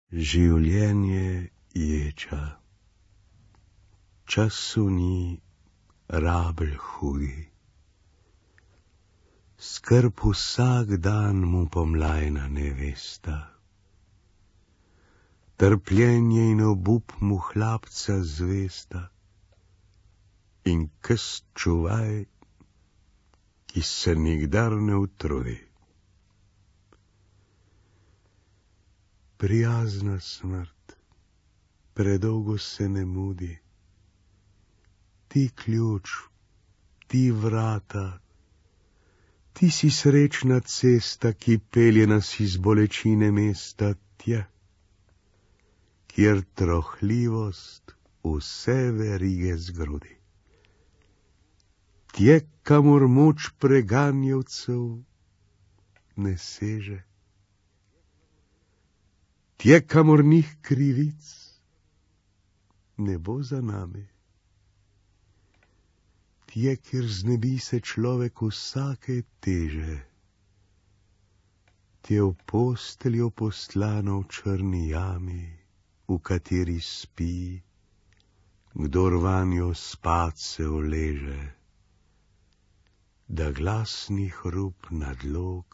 Življenje ječa, času ni rabelj hudi. Skrb vsak dan mu pomlajna nevesta. Trpljenje in obup mu hlapca zvesta. In kes čuvaj, ki se nikdar ne utrudi. Prijazna smrt, predolgo se ne mudi. Ti ključ, ti vrata, ti si srečna cesta, ki pelje nas iz bolečine mesta tja, kjer trohljivost vse verige zgrudi. Tje, kamor moč preganjavcev ne seže. Tje, kamor njih krivic ne bo za nami. Tje, kjer znebi se človek vsake teže. Tje v posteljo poslano v črni jami, v kateri spi, kdor vanjo spat se uleže, da glasni hrup nadlog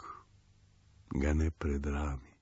ga ne predrami.